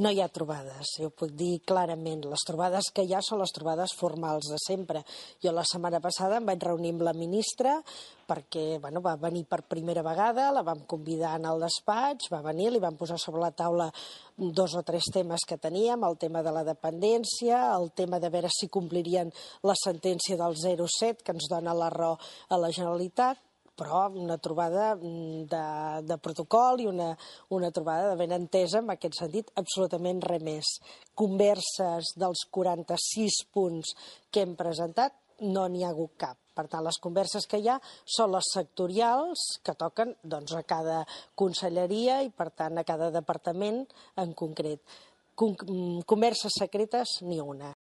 No hi ha trobades, jo puc dir clarament. Les trobades que hi ha són les trobades formals de sempre. Jo la setmana passada em vaig reunir amb la ministra perquè va venir per primera vegada, la vam convidar al despatx, va venir, li vam posar sobre la taula 2 o 3 temes que teníem, el tema de la dependència, el tema de veure si complirien la sentència del 0,7 que ens dona la raó a la Generalitat, però una trobada de protocol i una trobada de ben entesa en aquest sentit, absolutament res més. Converses dels 46 punts que hem presentat no n'hi ha hagut cap. Per tant, les converses que hi ha són les sectorials que toquen a cada conselleria i, per tant, a cada departament en concret. Converses secretes, ni una.